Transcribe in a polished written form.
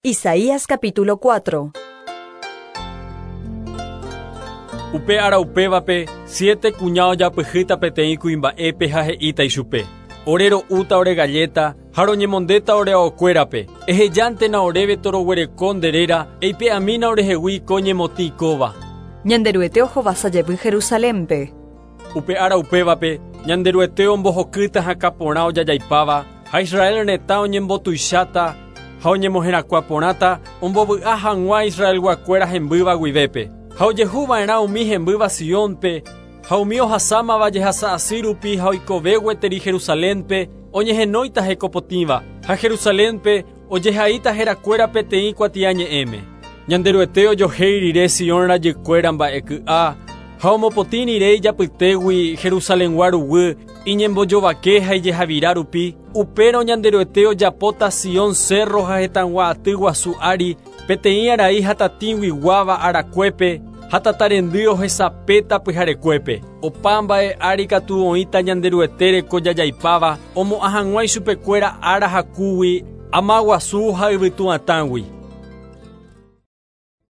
Isaías capítulo 4. Upe ára upévape, siete kuña ojapyhýta peteĩ kuimba'épe ha he'íta ichupe: Ore ro'úta ore galléta ha roñemondéta ore aokuérape. Ehejántena oréve toroguereko nde réra, eipe'amína orehegui ko ñemotĩ kóva. Ñanderuete ohovasa jevy Jerusalénpe. Upe ára upévape, Ñanderuete ombohokýta hakã porã ojajaipáva, ha Israel retã oñembotuicháta ha oñemoherakuã porãta ombovy'a hag̃ua Israelguakuéra hembýva guivépe. Ha ojehu va'erã umi hembýva Siónpe, ha umi ohasámava jehasa asy rupi ha oikove gueteri Jerusalénpe, oñehenóita hekopotĩva, ha Jerusalénpe ojehaíta herakuéra peteĩ kuatiañe'ẽme. Ñanderuete ojohéi rire Sion rajykuéra mba'e ky'a, ha omopotĩ rire ijapytégui Jerusalengua ruguy iñembojovake ha ijehavira rupi, upérõ Ñanderuete ojapóta Sion cérro ha hetãgua aty guasu ári peteĩ arai hatatĩguiguáva arakuépe ha tatarendy ohesapéta pyharekuépe. Opa mba'e ári katu oĩta Ñanderuete reko jajaipáva omo'ã hag̃ua ichupekuéra ára hakúgui, ama guasu ha yvytu atãgui.